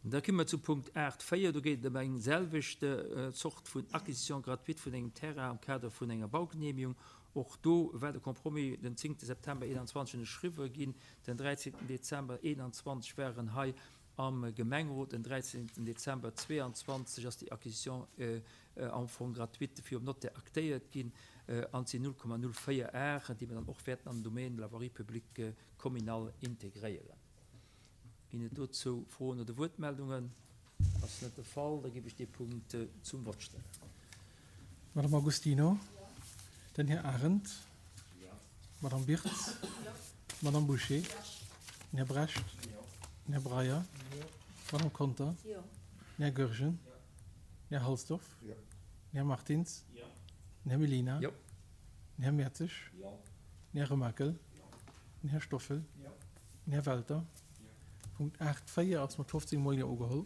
Da komme mer zu Punkt 8, 4. Do geet et ëm eng selwecht Zort vun Acquisition gratuite vun engem Terrain am Kader vun enger Baugenehmigung. Och do war de Compromis den 10 September 21 ënnerschriwwe ginn. Den 13 Dezember 21 war en hei am Gemengerot. Den 13 Dezember 22 ass déi Acquisition am Fong gratuite virum Notaire aktéiert ginn an et sinn 0,04 Ar, déi mer dann och wäerten an den Domaine de la voirie publique communale integréieren. Ginn et dozou Froen oder Wuertmeldungen? Ass net de Fall, da géif ech dee Punkt zum Vott stellen. Madame Agostino, den Här Arendt, d'Madame Birtz, d'Madame Bouché, den Här Brecht, den Här Breyer, d'Madame Conter, den Här Goergen, den Här Halsdorf, den Här Martins, den Här Mellina, den Här Mertzig, den Här Remakel, den Här Stoffel, Den Här Welter. Punkt 8, 4 ass mat 15 mol Jo ugeholl.